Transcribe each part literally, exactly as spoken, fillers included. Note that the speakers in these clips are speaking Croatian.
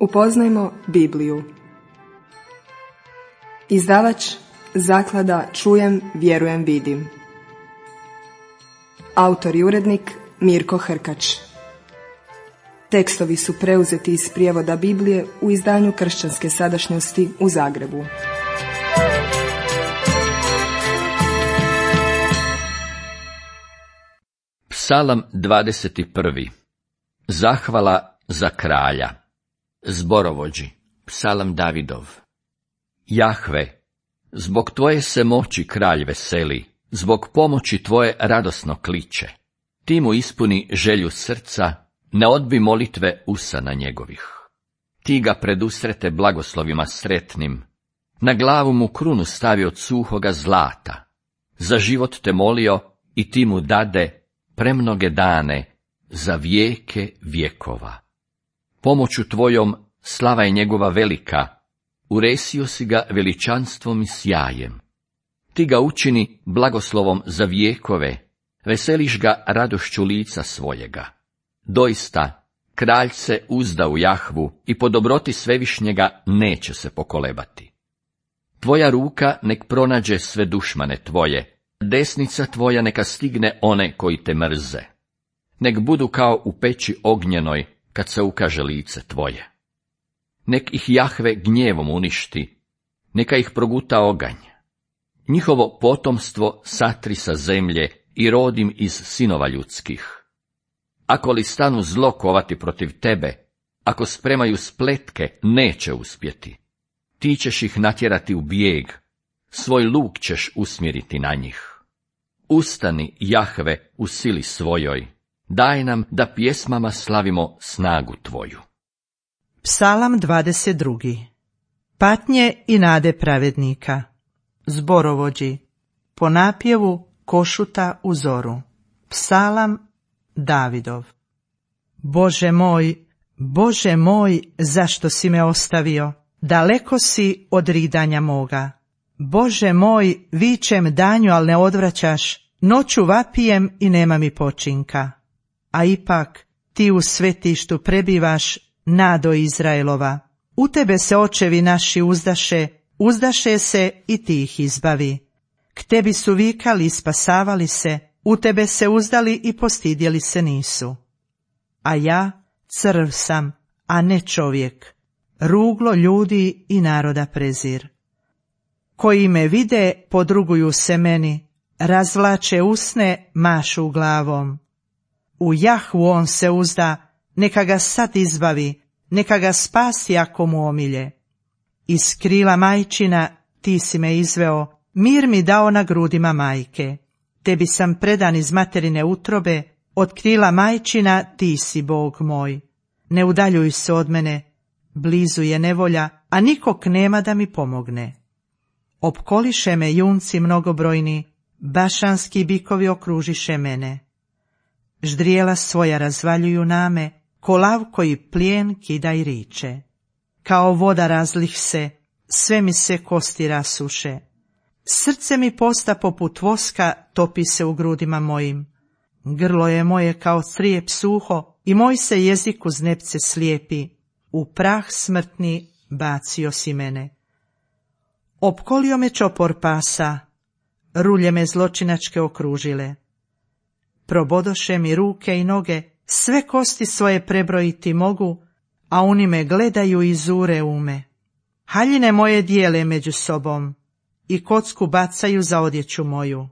Upoznajmo Bibliju. Izdavač Zaklada Čujem, vjerujem, vidim. Autor i urednik Mirko Hrkač. Tekstovi su preuzeti iz prijevoda Biblije u izdanju Kršćanske sadašnjosti u Zagrebu. Psalam dvadeset prvi. Zahvala za kralja. Zborovođi. Psalam Davidov. Jahve, zbog tvoje se moći kralj veseli, zbog pomoći tvoje radosno kliče. Ti mu ispuni želju srca, ne odbi molitve usana njegovih. Ti ga predusrete blagoslovima sretnim, na glavu mu krunu stavi od suhoga zlata. Za život te molio i ti mu dade premnoge dane, za vijeke vjekova. Pomoću tvojom slava je njegova velika, uresio si ga veličanstvom i sjajem. Ti ga učini blagoslovom za vijekove, veseliš ga radošću lica svojega. Doista, kralj se uzda u Jahvu i po dobroti svevišnjega neće se pokolebati. Tvoja ruka nek pronađe sve dušmane tvoje, desnica tvoja neka stigne one koji te mrze. Nek budu kao u peći ognjenoj, kad se ukaže lice tvoje. Nek ih Jahve gnjevom uništi, neka ih proguta oganj. Njihovo potomstvo satri sa zemlje i rodim iz sinova ljudskih. Ako li stanu zlo kovati protiv tebe, ako spremaju spletke, neće uspjeti. Ti ćeš ih natjerati u bijeg, svoj luk ćeš usmjeriti na njih. Ustani, Jahve, u sili svojoj, daj nam da pjesmama slavimo snagu tvoju. Psalam dvadeset drugi. Patnje i nade pravednika. Zborovođi. Po napjevu košuta u zoru. Psalam Davidov. Bože moj, Bože moj, zašto si me ostavio? Daleko si od ridanja moga. Bože moj, vičem danju, al ne odvraćaš, noću vapijem i nema mi počinka. A ipak ti u svetištu prebivaš, nado Izraelova. U tebe se očevi naši uzdaše, uzdaše se i ti ih izbavi. K tebi su vikali i spasavali se, u tebe se uzdali i postidjeli se nisu. A ja crv sam, a ne čovjek, ruglo ljudi i naroda prezir. Koji me vide, podruguju se meni, razvlače usne, mašu glavom. U Jahvu on se uzda, neka ga sad izbavi, neka ga spasi ako mu omilje. Iz krila majčina ti si me izveo, mir mi dao na grudima majke. Tebi sam predan iz materine utrobe, od krila majčina ti si Bog moj. Ne udaljuj se od mene, blizu je nevolja, a nikog nema da mi pomogne. Opkoliše me junci mnogobrojni, bašanski bikovi okružiše mene. Ždrijela svoja razvaljuju name, ko lav koji plijen kida i riče. Kao voda razlih se, sve mi se kosti rasuše. Srce mi posta poput voska, topi se u grudima mojim. Grlo je moje kao crijep suho i moj se jezik uz nepce slijepi. U prah smrtni bacio si mene. Opkolio me čopor pasa, rulje me zločinačke okružile. Probodoše mi ruke i noge, sve kosti svoje prebrojiti mogu, a oni me gledaju i zure ume. Haljine moje dijele među sobom i kocku bacaju za odjeću moju.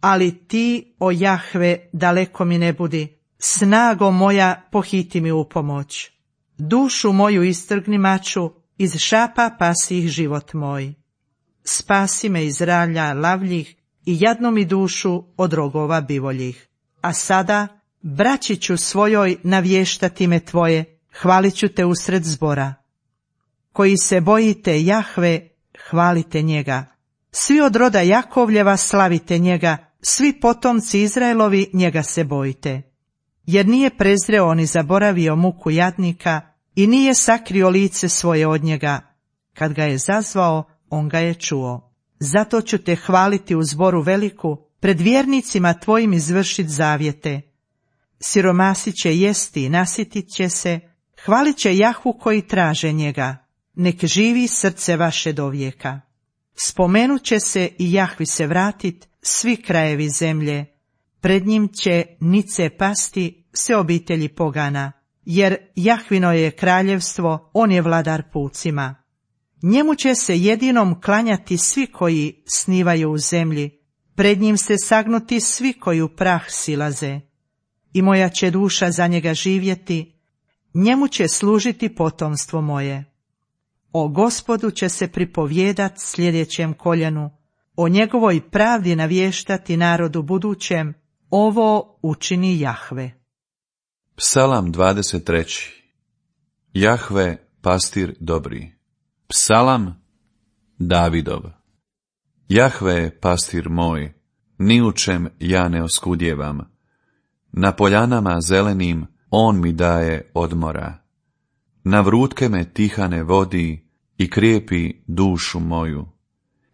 Ali ti, o Jahve, daleko mi ne budi, snago moja pohiti mi u pomoć. Dušu moju istrgni maču, iz šapa pasi ih život moj. Spasi me iz ralja lavljih i jadnu mi dušu od rogova bivoljih. A sada, braći ću svojoj navještati me tvoje, hvalit ću te usred zbora. Koji se bojite Jahve, hvalite njega. Svi od roda Jakovljeva slavite njega, svi potomci Izraelovi njega se bojite. Jer nije prezreo ni zaboravio muku jadnika i nije sakrio lice svoje od njega. Kad ga je zazvao, on ga je čuo. Zato ću te hvaliti u zboru veliku, pred vjernicima tvojim izvršit zavjete. Siromasi će jesti i nasitit će se, Hvalit će Jahvu koji traže njega, nek živi srce vaše dovijeka. Spomenut će se i Jahvi se vratit svi krajevi zemlje, pred njim će nice pasti sve obitelji pogana, jer Jahvino je kraljevstvo, on je vladar pucima. Njemu će se jedinom klanjati svi koji snivaju u zemlji, pred njim se sagnuti svi koji u prah silaze. I moja će duša za njega živjeti, njemu će služiti potomstvo moje. O Gospodu će se pripovjedat sljedećem koljenu, o njegovoj pravdi navještati narodu budućem, ovo učini Jahve. Psalam dvadeset treći. Jahve, pastir dobri. Psalam Davidov. Jahve, pastir moj, ni u čem ja ne oskudjevam. Na poljanama zelenim on mi daje odmora. Na vrutke me tihane vodi i krijepi dušu moju.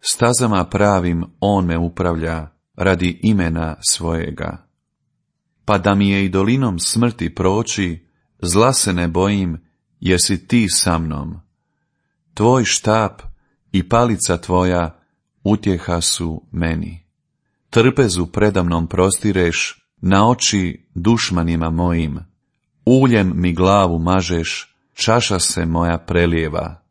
Stazama pravim on me upravlja radi imena svojega. Pa da mi je i dolinom smrti proći, zla se ne bojim, jer si ti sa mnom. Tvoj štap i palica tvoja utjeha su meni. Trpezu predamnom prostireš na oči dušmanima mojim. Uljem mi glavu mažeš, čaša se moja prelijeva.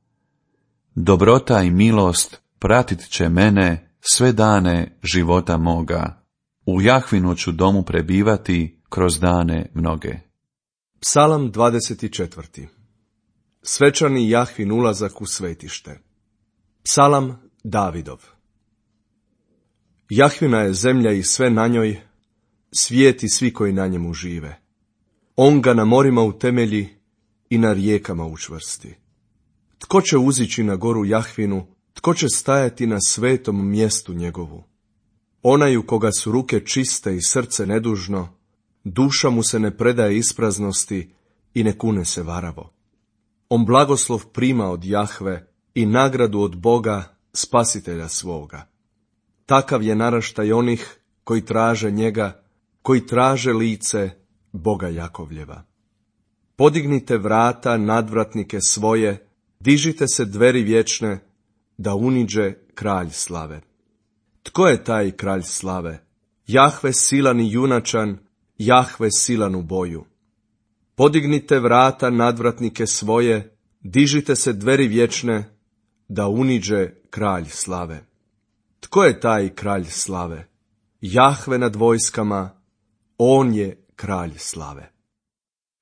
Dobrota i milost pratit će mene sve dane života moga. U Jahvinu ću domu prebivati kroz dane mnoge. Psalam dvadeset četvrti. Svečani Jahvin ulazak u svetište. Psalam Davidov. Jahvina je zemlja i sve na njoj, svijet i svi koji na njemu žive. On ga na morima utemelji i na rijekama učvrsti. Tko će uzići na goru Jahvinu, tko će stajati na svetom mjestu njegovu? Onaj u koga su ruke čiste i srce nedužno, duša mu se ne predaje ispraznosti i ne kune se varavo. On blagoslov prima od Jahve i nagradu od Boga, spasitelja svoga. Takav je naraštaj onih koji traže njega, koji traže lice Boga Jakovljeva. Podignite vrata nadvratnike svoje, dižite se dveri vječne, da uniđe kralj slave. Tko je taj kralj slave? Jahve silan i junačan, Jahve silan u boju. Podignite vrata nadvratnike svoje, dižite se dveri vječne, da uniđe kralj slave. Tko je taj kralj slave? Jahve nad vojskama, on je kralj slave.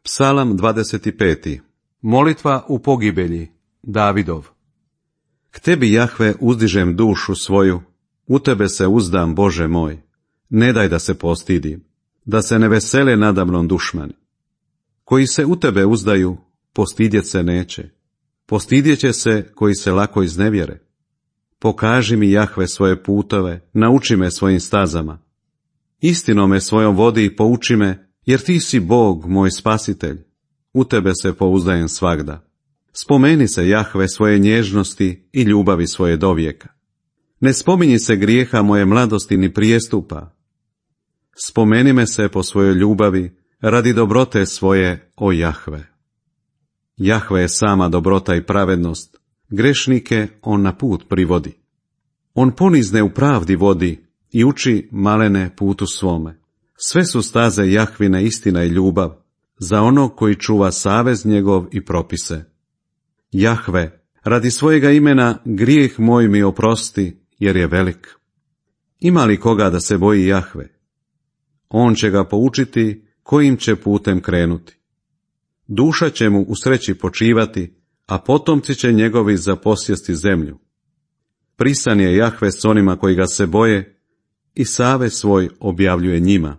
Psalam dvadeset peti. Molitva u pogibelji, Davidov. K tebi, Jahve, uzdižem dušu svoju, u tebe se uzdam, Bože moj. Ne daj da se postidim, da se ne vesele nadamnom dušmani. Koji se u tebe uzdaju, postidjet se neće. Postidjet će se koji se lako iznevjere. Pokaži mi, Jahve, svoje putove, nauči me svojim stazama. Istinom me svojom vodi i pouči me, jer ti si Bog, moj spasitelj. U tebe se pouzdajem svagda. Spomeni se, Jahve, svoje nježnosti i ljubavi svoje dovijeka. Ne spominji se grijeha moje mladosti ni prijestupa. Spomeni me se po svojoj ljubavi, radi dobrote svoje, o Jahve. Jahve je sama dobrota i pravednost, grešnike on na put privodi. On ponizne u pravdi vodi i uči malene putu svome. Sve su staze Jahvine istina i ljubav, za onog koji čuva savez njegov i propise. Jahve, radi svojega imena grijeh moj mi oprosti, jer je velik. Ima li koga da se boji Jahve? On će ga poučiti kojim će putem krenuti. Duša će mu u sreći počivati, a potomci će njegovi zaposjesti zemlju. Prisan je Jahve s onima koji ga se boje i savez svoj objavljuje njima.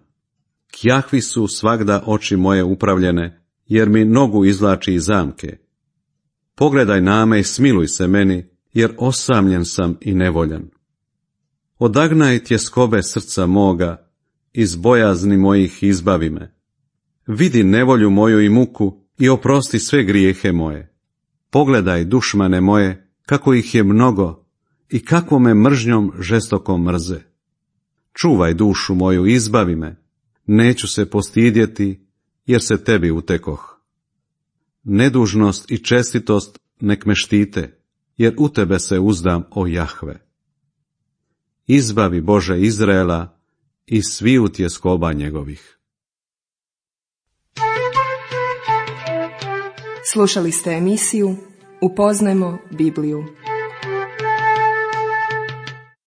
K Jahvi su svagda oči moje upravljene, jer mi nogu izvlači iz zamke. Pogledaj na me i smiluj se meni, jer osamljen sam i nevoljan. Odagnaj tjeskobe srca moga, iz bojazni mojih izbavi me. Vidi nevolju moju i muku i oprosti sve grijehe moje. Pogledaj, dušmane moje, kako ih je mnogo i kako me mržnjom žestoko mrze. Čuvaj dušu moju, izbavi me, neću se postidjeti, jer se tebi utekoh. Nedužnost i čestitost nek me štite, jer u tebe se uzdam, o Jahve. Izbavi Bože Izraela i sviju tjeskoba njegovih. Slušali ste emisiju Upoznajmo Bibliju.